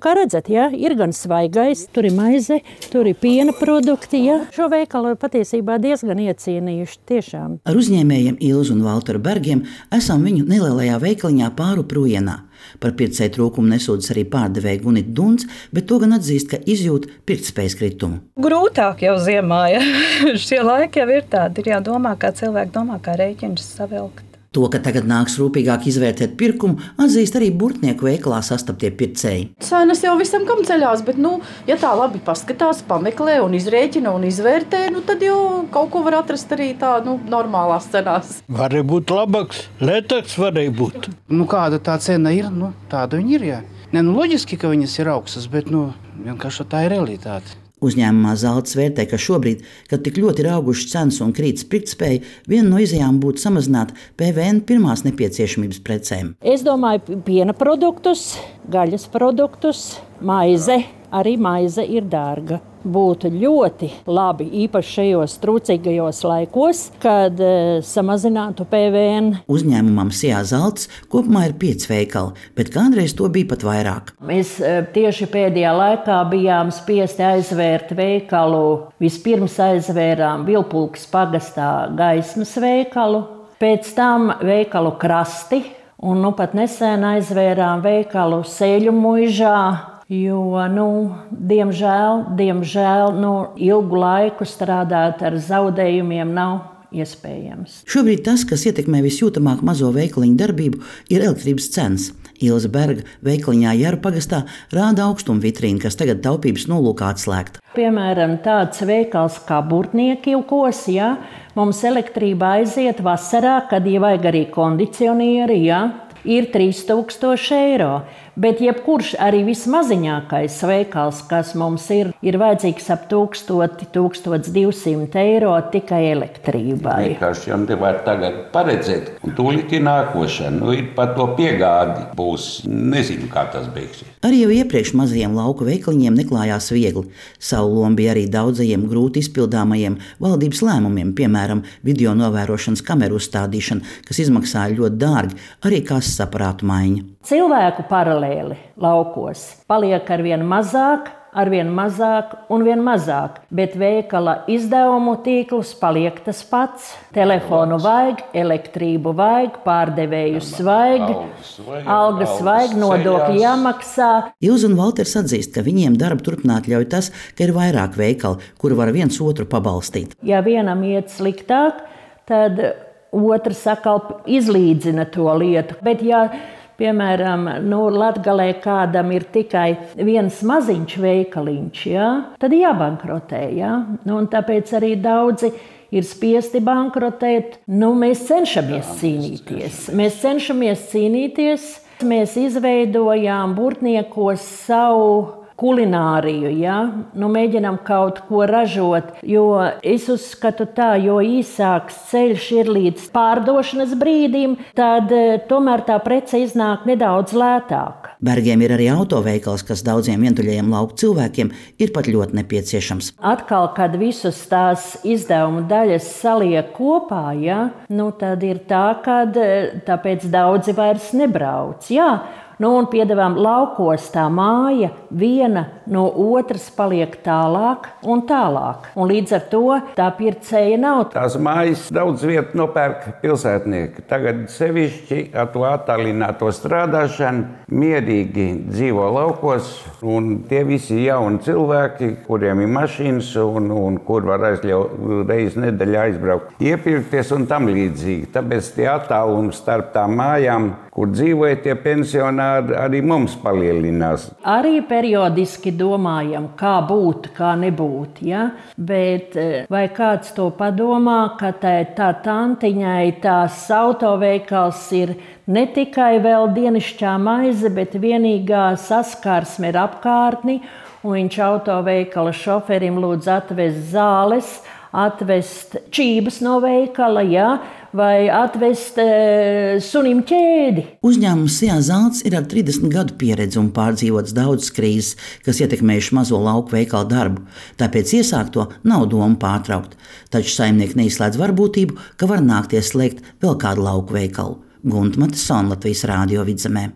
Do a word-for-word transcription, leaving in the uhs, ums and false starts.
kā redzat, ja, ir gan svaigais, tur ir maize, tur ir piena produkti. Ja. Šo veikalu patiesībā diezgan iecienījuši tiešām. Ar uzņēmējiem Ilzu un Valteru Bergiem esam viņu nelielajā veikaliņā Pāru Prujienā. Par pircēju trūkumu nesūdzas arī pārdevēja Gunita Dunds, bet to gan atzīst, ka izjūt pirktspējas kritumu. Grūtāk jau ziemā, ja šie laiki jau ir tādi, ir jādomā, kā cilvēki domā, kā rēķinus savilkt. To, ka tagad nāks rūpīgāk izvērtēt pirkumu, atzīst arī burtnieku veikalā sastaptie pircēji. Cenas jau visam kam ceļās, bet, nu, ja tā labi paskatās, pameklē un izrēķina un izvērtē, nu, tad jau kaut ko var atrast arī tā, nu, normālās cenās. Varēja būt labāks, lētāks varēja būt. Nu, kāda tā cena ir, nu, tāda viņa ir, jā. Ne, nu, loģiski, ka viņas ir augstas, bet, nu, vienkārši tā ir realitāte. Uzņēmumā Zalts vērtē, ka šobrīd, kad tik ļoti ir augušas cenas un krītas pirktspēja, viena no izejām būtu samazināt P V N pirmās nepieciešamības precēm. Es domāju, piena produktus, gaļas produktus, maize. Arī maize ir dārga. Būtu ļoti labi, īpaši šajos trūcīgajos laikos, kad e, samazinātu P V N. Uzņēmumam Sijā Zalts kopumā ir pieci veikali, bet kādreiz to bija pat vairāk. Mēs e, tieši pēdējā laikā bijām spiesti aizvērt veikalu. Vispirms aizvērām Vilpulkas pagastā Gaismas veikalu, pēc tam veikalu Krasti, un nu pat nesen aizvērām veikalu Sēļu muižā. Jo, nu, diemžēl, diemžēl nu, ilgu laiku strādāt ar zaudējumiem nav iespējams. Šobrīd tas, kas ietekmē visjūtamāk mazo veikaliņu darbību, ir elektrības cenas. Ilza Berga veikaliņā Jaru pagastā rāda augstumu vitrīnu, kas tagad taupības nolūkā atslēgta. Piemēram, tāds veikals kā Burtniekilkos, ja, mums elektrība aiziet vasarā, kad jau vajag arī kondicionieri, ja, ir trīs tūkstoši eiro. Bet jebkurš arī vismaziņākais veikals, kas mums ir, ir vajadzīgs ap tūkstoti, tūkstots divsimt eiro tikai elektrībai. Vienkārši jau nevar tagad paredzēt, un tūlīt ir nākošana. Nu, ir pat to piegādi būs, nezinu, kā tas beigsies. Arī jau iepriekš mazajiem lauku veikaliņiem neklājās viegli. Savu lomu bija arī daudzajiem grūti izpildāmajiem valdības lēmumiem, piemēram, video novērošanas kameru uzstādīšana, kas izmaksāja ļoti dārgi, arī kases aparātu maiņa. Cilvēku paralēli laukos paliek arvien mazāk, arvien mazāk un vien mazāk, bet veikala izdevumu tīkls paliek tas pats. Telefonu vajag, elektrību vajag, pārdevējus vajag, algas vajag, nodokļi jāmaksā. Ilza un Valters atzīst, ka viņiem darbu turpināt ļauj tas, ka ir vairāk veikali, kuri var viens otru pabalstīt. Ja vienam iet sliktāk, tad otrs atkal izlīdzina to lietu. Bet ja piemēram, nu, Latgalē kādam ir tikai viens maziņš veikaliņš, ja, tad jābankrotē. Ja? Nu, un tāpēc arī daudzi ir spiesti bankrotēt. Nu, mēs cenšamies cīnīties. Mēs cenšamies cīnīties. Mēs izveidojām Burtniekos savu kulināriju, ja? Nu, mēģinām kaut ko ražot, jo es uzskatu tā, jo īsāks ceļš ir līdz pārdošanas brīdim, tad tomēr tā prece iznāk nedaudz lētāk. Bergiem ir arī autoveikals, kas daudziem vientuļajiem lauku cilvēkiem ir pat ļoti nepieciešams. Atkal, kad visas tās izdevumu daļas saliek kopā, ja? Nu, tad ir tā, kad tāpēc daudzi vairs nebrauc. Jā. Nu, un piedevām laukos tā māja, viena no otras paliek tālāk un tālāk. Un līdz ar to tā pircēja nav. Tās mājas daudz vietu nopērk pilsētnieki. Tagad sevišķi ar to attālināto strādāšanu mierīgi dzīvo laukos. Un tie visi jauni cilvēki, kuriem ir mašīnas un, un kur var aizļaut reizi nedēļā aizbraukt, iepirkties un tam līdzīgi. Tāpēc tie attālumi starp tām mājām, kur dzīvoja tie pensionāri, arī mums palielinās. Arī periodiski domājam, kā būt, kā nebūt, ja? Bet vai kāds to padomā, ka tā, tā tantiņai tās autoveikals ir ne tikai vēl dienišķā maize, bet vienīgā saskarsme ir apkārtni, un viņš autoveikala šoferim lūdz atvest zāles, atvest čības no veikala, ja? Vai atvest e, sunim ķēdi. Uzņēmums Sijā Zalts ir ar trīsdesmit gadu pieredzi un pārdzīvots daudzas krīzes, kas ietekmējuši mazo lauku veikalu darbu. Tāpēc iesākto nav doma pārtraukt. Taču saimnieki neizslēdz varbūtību, ka var nākties slēgt vēl kādu lauku veikalu. Gunta Matesona, Latvijas Rādio Vidzemē.